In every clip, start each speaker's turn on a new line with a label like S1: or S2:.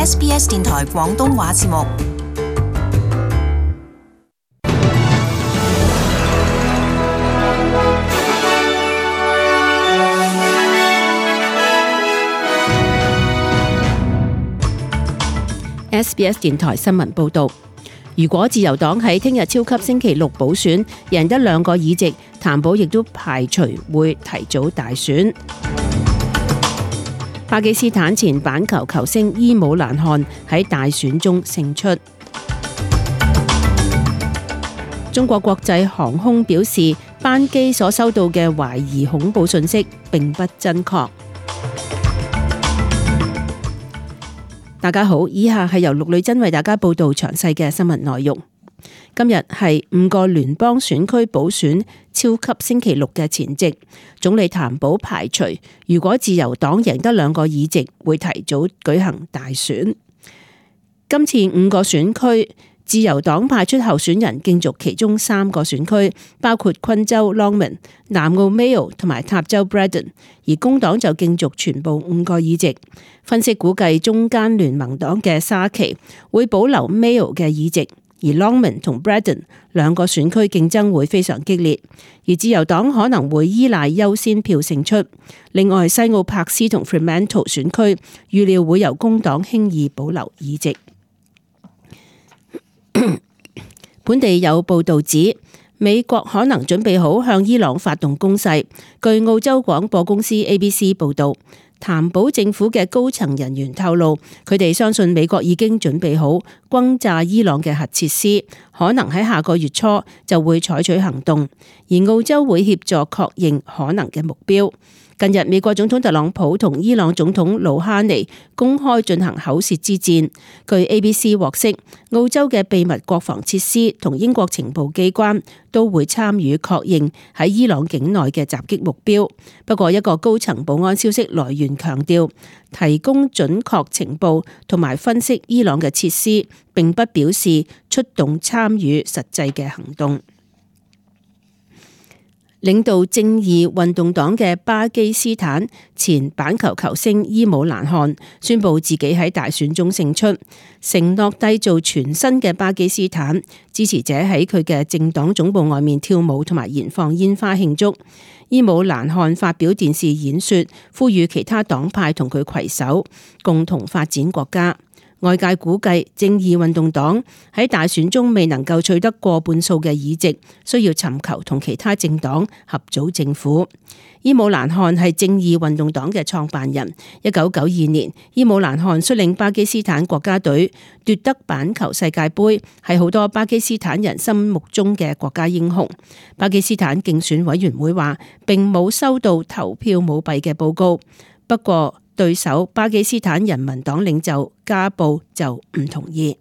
S1: SBS 電台廣東話節目。
S2: SBS 電台新聞報導，如果自由黨喺聽日超級星期六補選贏得2個議席，譚寶亦都排除會提早大選。巴基斯坦前板球球星伊姆蘭汗喺大選中勝出。中國國際航空表示，班機所收到嘅懷疑恐怖訊息並不真確。大家好，以下係由陸女真為大家報道詳細嘅新聞內容。今日係5個聯邦選區補選超級星期六嘅前夕，總理譚寶排除如果自由黨贏得2個議席，會提早舉行大選。今次5個選區，自由黨派出候選人競逐其中3個選區，包括昆州 Longman、南澳 Mayo 同埋塔州 Braddon， 而工黨就競逐全部5個議席。分析估計中間聯盟黨嘅沙奇會保留 Mayo 嘅議席，而 Longman 同 Braddon 2個選區競爭會非常激烈，而自由黨可能會依賴優先票勝出。另外，西澳柏斯同 Fremantle 選區預料會由工黨輕易保留議席。本地有報道指，美國可能準備好向伊朗發動攻勢。據澳洲廣播公司 ABC 報道，譚寶政府嘅高層人員透露，佢哋相信美國已經準備好轟炸伊朗嘅核設施，可能喺下個月初就會採取行動，而澳洲會協助確認可能嘅目標。近日，美國總統特朗普同伊朗總統魯哈尼公開進行口舌之戰。據 ABC 獲悉，澳洲嘅秘密國防設施同英國情報機關都會參與確認喺伊朗境內嘅襲擊目標。不過，一個高層保安消息來源強調，提供準確情報同埋分析伊朗嘅設施，並不表示出動參與實際嘅行動。領導正義運動黨嘅巴基斯坦前板球球星伊姆蘭汗宣布自己喺大選中勝出，承諾締造全新嘅巴基斯坦。支持者喺佢嘅政黨總部外面跳舞同埋燃放煙花慶祝。伊姆蘭汗發表電視演說，呼籲其他黨派同佢攜手，共同發展國家。外界估計，正義運動黨喺大選中未能夠取得過半數嘅議席，需要尋求同其他政黨合組政府。伊姆蘭汗係正義運動黨嘅創辦人。1992年，伊姆蘭汗率領巴基斯坦國家隊奪得板球世界盃，係好多巴基斯坦人心目中嘅國家英雄。巴基斯坦競選委員會話並冇收到投票舞弊嘅報告，不過對手巴基斯坦人民黨領袖加布就唔同意。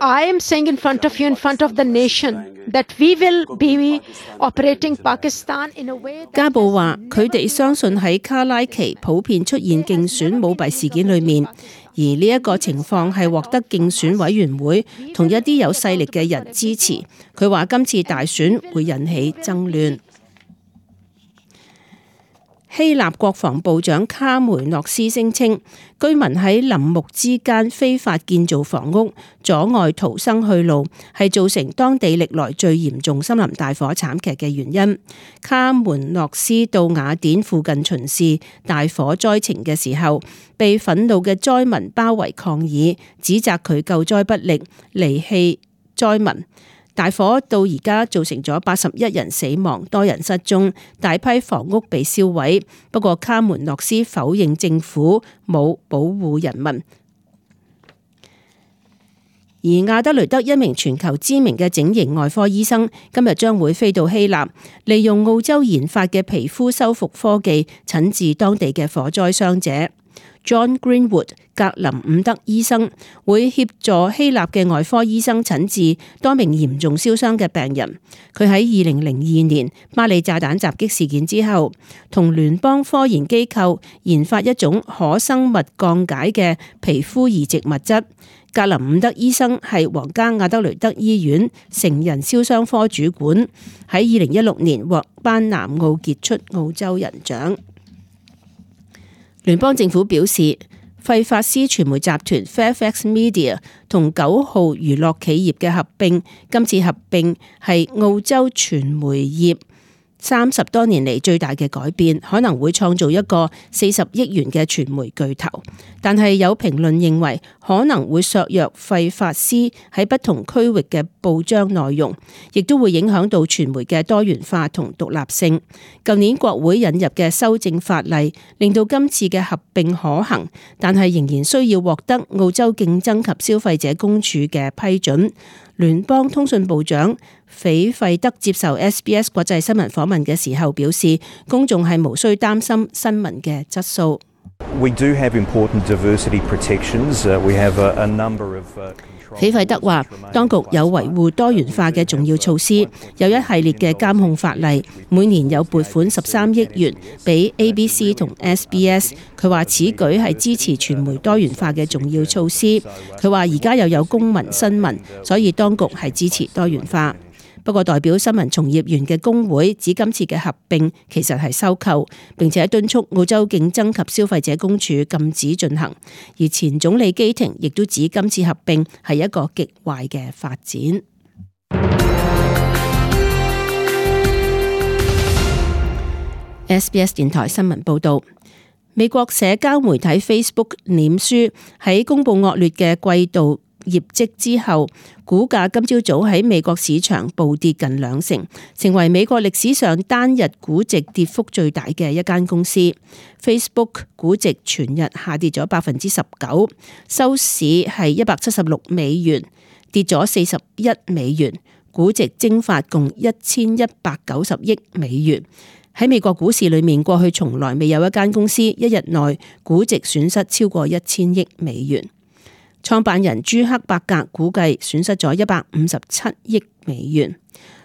S3: I am saying in front of you, in front of the nation, that we will be operating Pakistan in a way。
S2: 加布話：佢哋相信喺卡拉奇普遍出現競選舞弊事件裏面，而呢一個情況係獲得競選委員會同一啲有勢力嘅人支持。佢話今次大選會引起爭亂。希臘國防部長卡梅諾斯聲稱，居民喺林木之間非法建造房屋，阻礙逃生去路，係造成當地歷來最嚴重森林大火慘劇嘅原因。卡梅諾斯到雅典附近巡視大火災情嘅時候，被憤怒嘅災民包圍抗議，指責佢救災不力，離棄災民。大火到而家造成咗81人死亡，多人失蹤，大批房屋被燒毀。不過卡梅諾斯否認政府冇保護人民。而亞德雷德一名全球知名嘅整形外科醫生今日將會飛到希臘，利用澳洲研發嘅皮膚修復科技診治當地嘅火災傷者。John Greenwood 格林伍德醫生會協助希臘嘅外科醫生診治多名嚴重燒傷嘅病人。佢喺2002年巴里炸彈襲擊事件之後，同聯邦科研機構研發一種可生物降解嘅皮膚移植物質。格林伍德醫生係皇家亞德雷德醫院成人燒傷科主管，喺2016年獲頒南澳傑出澳洲人獎。聯邦政府表示，費法斯傳媒集團 Fairfax Media 同9號娛樂企業嘅合併，今次合併係澳洲傳媒業30多年嚟最大嘅改變，可能會創造一個40億元嘅傳媒巨頭。但係有評論認為可能會削弱費法斯喺不同區域嘅報章內容，亦都會影響到傳媒嘅多元化同獨立性。舊年國會引入嘅修正法例令到今次嘅合併可行，但係仍然需要獲得澳洲競爭及消費者公署嘅批准。聯邦通訊部長斐費德接受 SBS 國際新聞訪問嘅時候表示，公眾係無需擔心新聞嘅質素。斐費德話，當局有維護多元化嘅重要措施，有一系列嘅監控法例，每年有撥款13億元俾 ABC 同 SBS。佢話此舉係支持傳媒多元化嘅重要措施。佢話而家又有公民新聞，所以當局係支持多元化。不過代表新聞從業員嘅工會指今次嘅合併其實係收購，並且敦促澳洲競爭及消費者公署禁止進行。而前總理基廷亦都指今次合併係一個極壞嘅發展。SBS 電台新聞報導，美國社交媒體 Facebook 臉書喺公佈惡劣嘅季度業績之後，股價今朝早喺美國市場暴跌近2成，成為美國歷史上單日估值跌幅最大嘅一間公司。Facebook 估值全日下跌咗19%，收市係176美元，跌咗41美元，估值蒸發共1190億美元。喺美國股市裏面，過去從來未有一間公司一日內估值損失超過1000億美元。創辦人朱克伯格估計損失咗157億美元。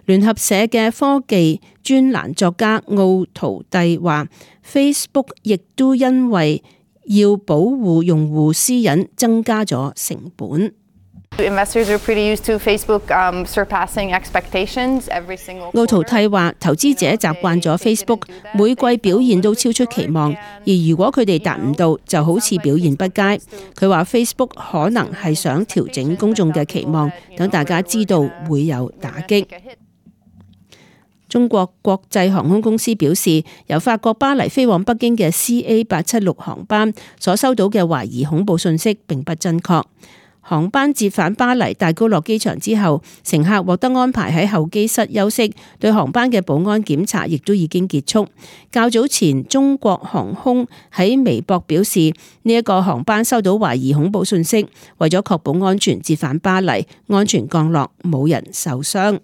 S2: 聯合社嘅科技專欄作家奧圖蒂話 ，Facebook 亦都因為要保護用戶私隱，增加咗成本。奧圖蒂話，投資者習慣咗 Facebook 每季表現都超出期望，而如果佢哋達唔到，就好似表現不佳。佢話 Facebook 可能係想調整公眾嘅期望，等大家知道會有打擊。中國國際航空公司表示，由法國巴黎飛往北京嘅 CA876 航班所收到嘅懷疑恐怖訊息並不真確。航班折返巴黎戴高樂機場之後，乘客獲得安排喺候機室休息，對航班嘅保安檢查亦都已經結束。較早前，中國航空喺微博表示，呢一個航班收到懷疑恐怖訊息，為咗確保安全折返巴黎，安全降落，冇人受傷。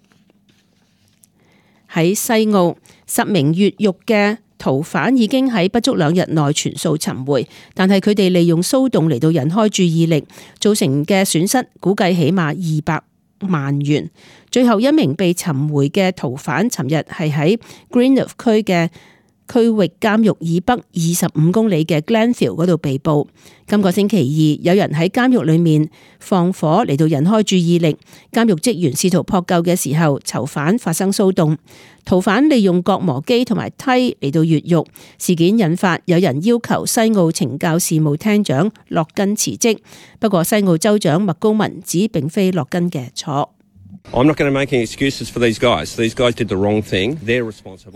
S2: 喺西澳，10名越獄嘅逃犯已經喺不足2日內全數尋回，但係佢哋利用騷動嚟到引開注意力，造成嘅損失估計起碼200萬元。最後一名被尋回嘅逃犯，尋日係喺 Greenup 區嘅區域監獄以北25公里嘅 Glenville 嗰度被捕。今個星期二，有人喺監獄裏面放火嚟到引開注意力，監獄職員試圖撲救嘅時候，囚犯發生騷動，逃犯利用割磨機同埋梯嚟到越獄。事件引發有人要求西澳懲教事務廳長洛根辭職，不過西澳州長麥高文指並非洛根嘅錯。麥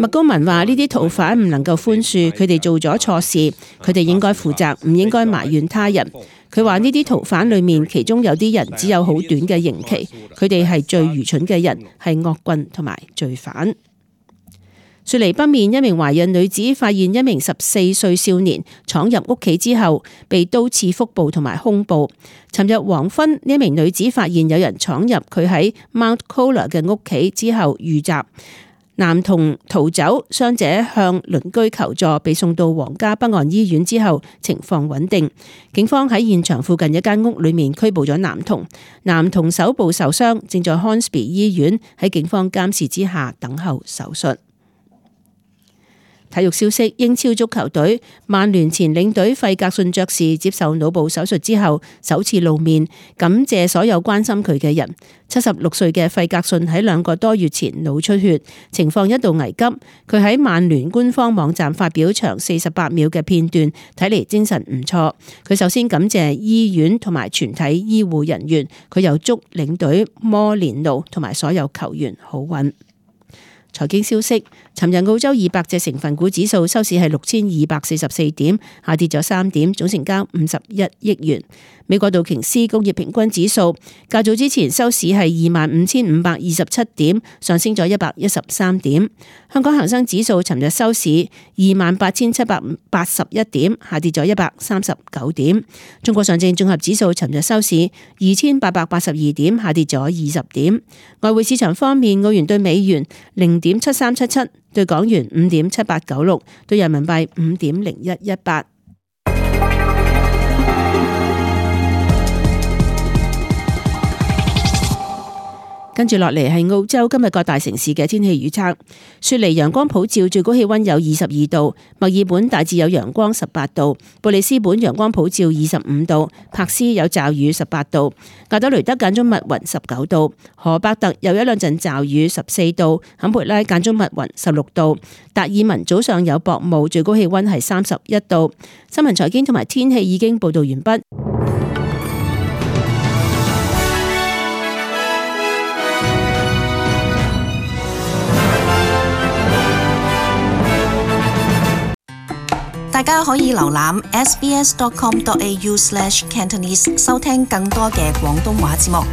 S2: 高文話：呢啲逃犯唔能夠寬恕，佢哋做咗錯事，佢哋應該負責，唔應該埋怨他人。佢話呢啲逃犯裏面，其中有啲人只有好短嘅刑期，佢哋係最愚蠢嘅人，係惡棍同埋罪犯。雪梨北面一名懷孕女子發現一名14歲少年闖入屋企之後，被刀刺腹部同埋胸部。尋日黃昏，呢一名女子發現有人闖入佢喺 Mount Colah 嘅屋企之後遇襲，男童逃走，傷者向鄰居求助，被送到皇家北岸醫院之後情況穩定。警方喺現場附近一間屋裏面拘捕咗男童，男童手部受傷，正在 Hornsby 醫院喺警方監視之下等候手術。體育消息：英超足球隊曼聯前領隊費格遜爵士接受腦部手術之後首次露面，感謝所有關心佢嘅人。76歲嘅費格遜喺2個多月前腦出血，情況一度危急。佢喺曼聯官方網站發表長48秒嘅片段，睇嚟精神唔錯。佢首先感謝醫院同埋全體醫護人員，佢又祝領隊摩連奴同埋所有球員好運。財經消息：尋日澳洲200隻成分股指數收市係6244點，下跌咗3點，總成交51億元。美國道瓊斯工業平均指數較早之前收市係25,527點，上升咗113點。香港恒生指數尋日收市28,781點，下跌咗139點。中國上證綜合指數尋日收市2,882點，下跌咗20點。外匯市場方面，澳元對美元0.7377，對港元5.7896，對人民幣5.0118。跟住落嚟係澳洲今日各大城市嘅天氣預測。雪梨陽光普照，最高氣溫有22度；墨爾本大致有陽光18度；布里斯本陽光普照25度；柏斯有驟雨18度；亞德雷德間中密雲19度；荷伯特有1兩陣驟雨14度；坎培拉間中密雲16度；達爾文早上有薄霧，最高氣溫係31度。新聞財經同埋天氣已經報道完畢。
S1: 大家可以瀏覽 sbs.com.au/cantonese 收聽更多嘅廣東話節目。